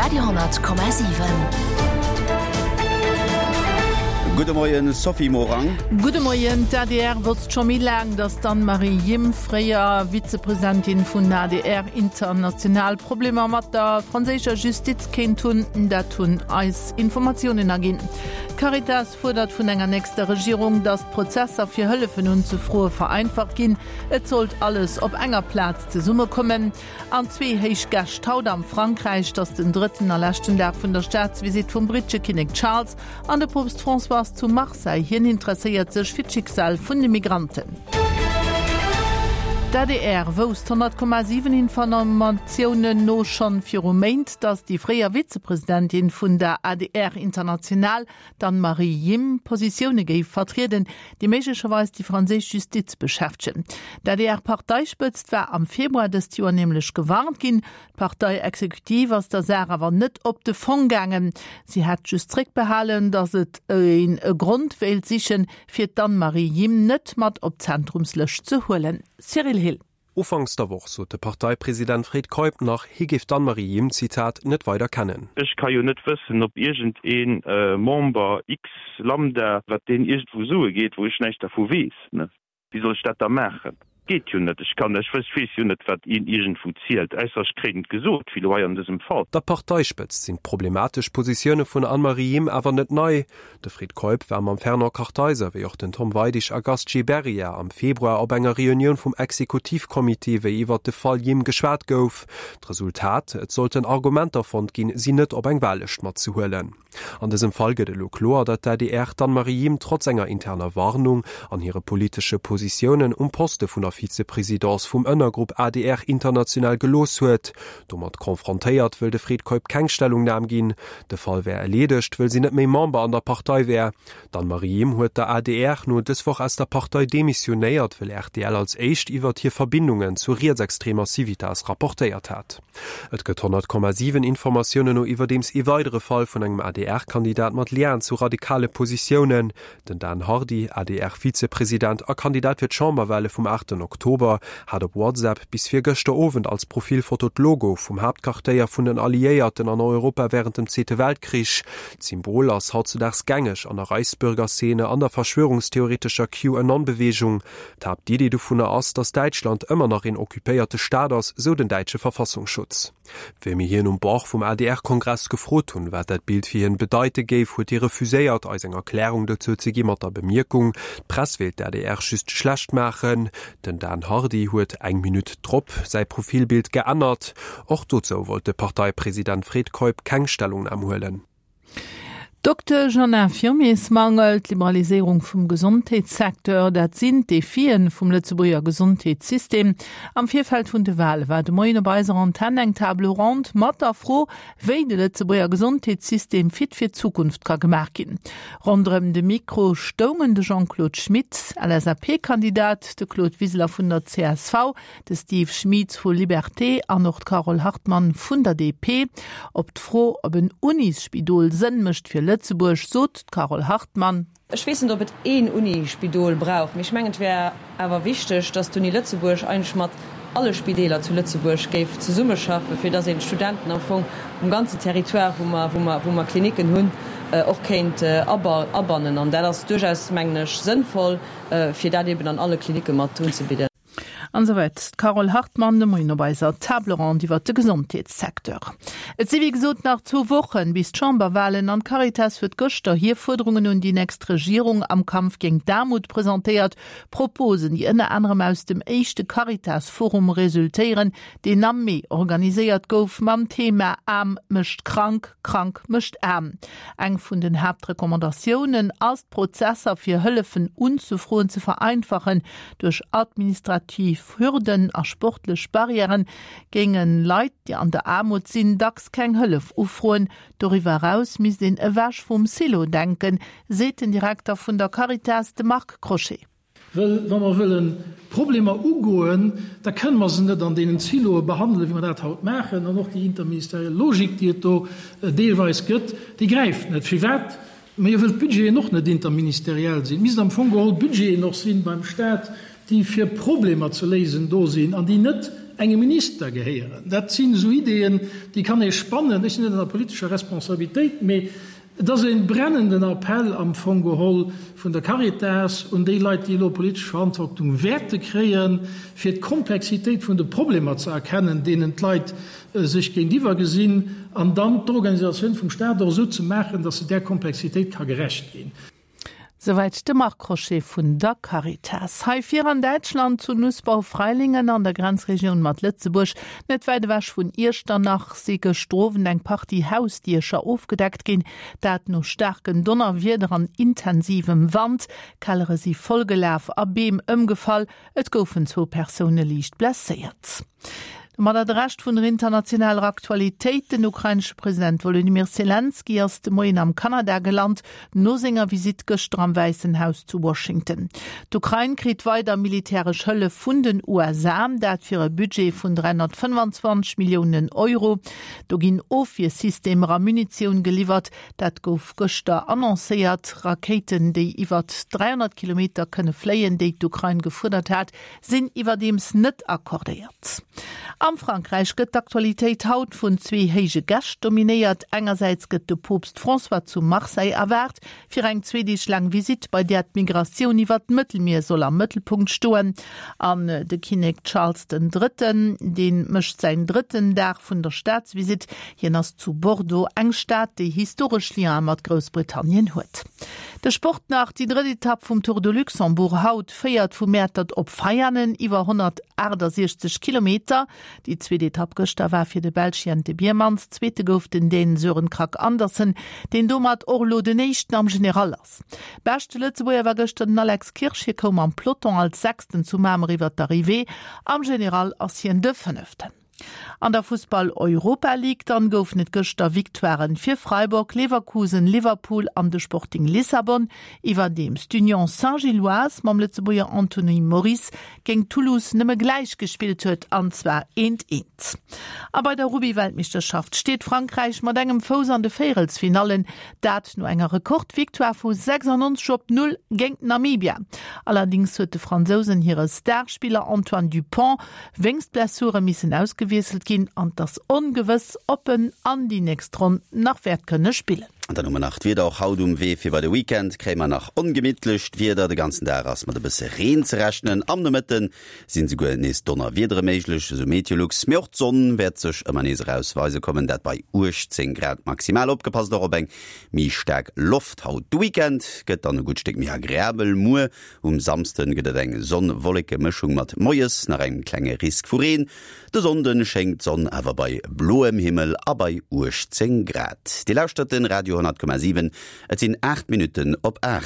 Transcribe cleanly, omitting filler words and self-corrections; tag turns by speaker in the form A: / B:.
A: Radio 10,7.
B: Gudde Moien Sophie Morang.
C: Gudde Moien. D'ADR wosst scho méi laang, datt d'Anne-Marie Yim, fréier Vizepresidentin vun der adr International, Problemer mat der franséischer Justiz kéint hunn. Dat hunn eis Informatiounen erginn. D'Caritas fuerdert vun enger nächster Regierung, datt d'Prozesser fir Hëllefen unzefroe vereinfacht ginn. Et sollt alles op enger Plaz zesummekommen. An zwee héich Gäscht haut am Frankräich. Et ass den drëtten a leschten Dag vun der Staatsvisitt vum brittesche Kinnek Charles an de Poopst François ass zu Marseille. Hien interesséiert sech fir d'Schicksal vun de Migranten. D'adr wousst 100,7 Informatiounen no schonn viru Méint, datt déi fréier Vizepresidentin vun der adr International, d'Anne-Marie Yim Positioune géif vertrieden, déi méiglecherweis déi franséisch Justiz beschäftegen. D'ADR-Parteispëtzt war am Februar dëst Joer nämlech gewarnt ginn. D'Partei-Exekutiv ass der Saach awer net op de Fong gaangen. Si hätt just zréckbehalen, datt et een e Grond wéilt sichen, fir d'Anne-Marie Yim net mat op d'Zentrumslëscht ze huelen. Cyril Hill.
D: Ufanks der Woch sot de Parteipresident Fred Keup nach, hie géif d'Anne-Marie Yim, Zitat, net weider kennen.
E: Ech ka jo net wëssen, ob iergend ee Member X, Lambda, wat deen iergendwou soe geet, wou ech näischt dervu weess. Wéi soll ech dat da maachen? Geet jo net. Ech kann, ech weess jo net, wat een iergendwou zielt, ausser ech kréien et gesot, wéi elo hei an dësem Fall.
D: Der Parteispëtzt sinn d'problematesch Positioune vun Anne-Marie Yim awer net nei. De Fred Keup war mam Fernand Kartheiser, wéi och den Tom Weidig a Gast Gibéryen am Februar op enger Reunioun vum Exekutivcomité, wéi iwwert de Fall Yim geschwat gouf. D'Resultat, Et sollten Argumenter fonnt ginn, si net op eng Wahllëscht matzehuelen. An dësem Fall gëtt elo kloer, datt d'ADR d'Anne-Marie Yim trotz enger interner Warnung an hire politesche Positiounen um Poste vun der Vizepresidence vum Ënnergrupp adr International gelooss huet. Domat confrontéiert, wëll de Fred Keup keng Stellungnam ginn. De Fall wär erleedegt, wëll si net méi Member an der Partei wär. D'Anne-Marie Yim huet der adr no dës Woch aus der Partei demissionéiert, wëll rtl als éischt iwwert hir Verbindungen zur rietsextremer Civitas rapportéiert hat. Et gëtt 100,7 Informatiounen no iwwerdeems ee weidere Fall vun engem ADR-Kandidat mat Lien zu radikale Positiounen. Den Dan Hardy, ADR-Vizepresident a Kandidat fir d'Chamberwale vum 8 Oktober, hat op WhatsApp bis virgëschter Owend als Profilfoto d'Logo vum Haaptquartéier vun den Alliéierten an Europa wärend dem Zweete Weltkrich. D'Symbol ass hautzedaags gängeg an der Reichsbürgerszene an der verschwörungstheoretescher QAnon-Beweegung. D'Haaptidee dovunner ass, datt Däitschland ëmmer nach een occupéierte Staat ass, sou den däitsche Verfassungsschutz. Wéi mir hien um Bord vum ADR-Kongress gefrot hunn, wat dat Bild fir hien bedeite géif, huet hie refuséiert, eis eng Erklärung dozou ze gi mat der Bemierkung, d'Press wéilt d'ADR just schlecht maachen. Den Dan Hardy huet eng Minutt drop säi Profilbild geännert. Och dozou wollt de Parteipresident Fred Keup keng Stellungnam huelen.
C: Doktesch an Infirmiersmangel, d'Liberaliséierung vum Gesondheetssecteur, dat sinn d'Defien vum Lëtzebuerger Gesondheetssystem. Am Virfeld vun de Wale war de Moien op eiser Antenn eng Table ronde mat der Fro, wéi de Lëtzebuerger Gesondheetssystem fit fir d'Zukunft ka gemaach ginn. Ronderëm de Mikro stoungen de Jean-Claude Schmit, LSAP-Kandidat, de Claude Wiseler vun der csv, de Steve Schmieds vu Liberté an och d'Carole Hartmann vun der DP. Op d'Fro, ob en Unisspidol Sënn mécht fir Lëtzebuerg, sot d'Carole Hartmann.
F: Ech weess net, ob et een Unispidol brauch, mee ech mengen, et wär awer wichteg, datt d'Uni Lëtzebuerg eigentlech mat alle Spideeler zu Lëtzebuerg géif zesummeschaffen, fir datt een d'Studenten am Fong um ganzen Territoire, wou mer, wou mer, wou mer Klinicken hunn, och kéint abannen. An dat ass duerchaus, mengen ech, sënnvoll, fir dat eeben an alle Klinicke mat unzebidden.
C: An esouwäit d'Carole Hartmann de Moien op eiser Table ronde iwwert de Gesondheetssecteur. Et si wéi gesot nach zwou Wochen bis d'Chamberwalen an d'Caritas huet gëschter hir Fuerderungen un déi nächst Regierung am Kampf géint d'Aarmut presentéiert. Proposen, déi ënner anerem aus dem éischte Caritas-Forum resultéieren, deen am Mee organiséiert gouf mam Thema Aarm mécht krank, krank mécht aarm. Eng vun den Haaptrecommandatiounen ass, d'Prozesser fir Hëllefen unzefroen ze vereinfachen. Duerch administrativ Hürden a sportlech Barrièren géinge Leit, déi an der Aarmut sinn, dacks keng Hëllef ufroen. Doriwwer eraus misst een ewech vum Silo denken, seet den Direkter vun der Caritas, de Marc Crochet.
G: Well wa mer wëlle Problemer ugoen, da kënne mer se net an deenen Siloe behandelen, wéi mer dat haut maachen. An och déi interministeriell Logik, déi et do deelweis gëtt, déi gräift net. Firwat Majo, wëll d'Budgeten och net interministeriell sinn. Et misst am Fong geholl Budgeten och sinn beim Staat, déi fir Problemer ze léisen do sinn an déi net. engem Minister gehéieren. Dat sinn esou Ideeën, déi kann ee spannen. Ech sinn net an der politescher Responsabilitéit, mee et ass e brennenden Appell am Fong geholl vun der Caritas un déi Leit, déi elo politesch Verantwortung wäerte kréien, fir d'Komplexitéit vun de Problemer ze erkennen, deenen d'Leit sech géintiwwer gesinn, an dann d'Organisatioun vum Stat och esou ze maachen, dass se där Komplexitéit ka gerecht ginn.
C: Souwäit de Marc Crochet vun der Caritas. Hei vir an Däitschland, zu Nussbau-Freilingen an der Grenzregioun mat Lëtzebuerg, net wäit ewech vun Iechternach, si gëschter Owend eng Partie Hausdiecher ofgedeckt ginn. Dat no staarken Donnerwieder an intensivem Wand. Kellere si vollgelaf a Beem ëmgefall. Et goufen zwou Persoune liicht blesséiert. Domadder de Rescht vun der internationaler Aktualitéit. Den ukrainesche President Wolodymyr Selenskyj ass de Moien am Kanada gelant, no senger Visitt gëschter am Wäissen Haus zu Washington. D'Ukrain kritt weider militäresch Hëllef vun den USA, dat fir e Budget vun 325 Milliounen Euro. Do ginn Ofwiersystemer a Munitioun geliwwert. Dat gouf gëschter annoncéiert. Rakéiten, déi iwwert 300 Kilometer kënne fléien, déi d'Ukrain gefuerdert hat, sinn iwwerdeems net accordéiert. Am Frankräich gëtt d'Aktualitéit haut vun zwee héije Gäscht dominéiert. Engersäits gëtt de Poopst François zu Marseille erwaart, fir eng zweedeeg laang Visitt, bei där d'Migratioun iwwer d'Mëttelmier soll am Mëttelpunkt stoen. An de Kinnek Charles den Drëtten, dee mécht säin drëtten Dag vun der Staatsvisitt. Hien ass zu Bordeaux, eng Stad, déi historesch Liene mat Groussbritannien huet. De Sport nach, Déi drëtt Etapp vum Tour de Luxembourg haut féiert vu Mäertert op Veianen iwwer 168 Kilometer. Déi zweet Etapp gëschter war fir de Belsch Jente Biermans. Zweete gouf den Dän Sören Kragh Andersen, deen domat och elo den éischten am General ass. Beschte Lëtzebuerger war gëschter den Alex Kirsch. Hie koum am Peloton als Sechsten zu Mamer iwwer d'Arrivée. Am General ass hien de Fënneften. An der Fussball-Europa League dann goufen et gëschter Victoiren fir Freiburg, Leverkusen, Liverpool an de Sporting Lissabon, iwwerdeems d'Union Saint-Gilloise mam Lëtzebuerger Anthony Moris géint Toulouse nëmme gläich gespillt huet, an zwar eent eent. A bei der Rugby-Weltmeeschterschaft steet Frankräich mat engem Fouss an de Véierelsfinallen, dat no enger Rekordvictoire vu 96 op 0 géint Namibia. Allerdéngs huet de Fransousen hire Starspiller Antoine Dupont wéinst Blessure missen ausgewiesselt ginn an 't ass ongewëss, ob en an déi nächst Ronn nach wäert kënne spillen.
B: An dann hu mer nach d'Wieder, Och haut um Wee fir bei de Weekend kréie mer nach ongemittlecht Wieder. De ganzen Dag ass mat e bësse Reen ze rechnen. Am Nomëtte sinn souguer nees Donnerwiedere méiglech, esou Meteolux. Mee och d'Sonn wäert sech ëmmer nees erausweise kommen, dat bei 18 Grad maximal. Opgepasst och op eng méi staark Loft haut. De Weekend gëtt dann e gutt Stéck méi agreabel. Muer Um Samsden gëtt et eng Sonn-Wolleke-Mëschung mat moies nach engem klenge Risk vu Reen. De Sonnden schéngt d'Sonn awer bei bloem Himmel a bei 18 Grad. Dir lauschtert den Radio 10,7, et sinn 8 Minutten op 8.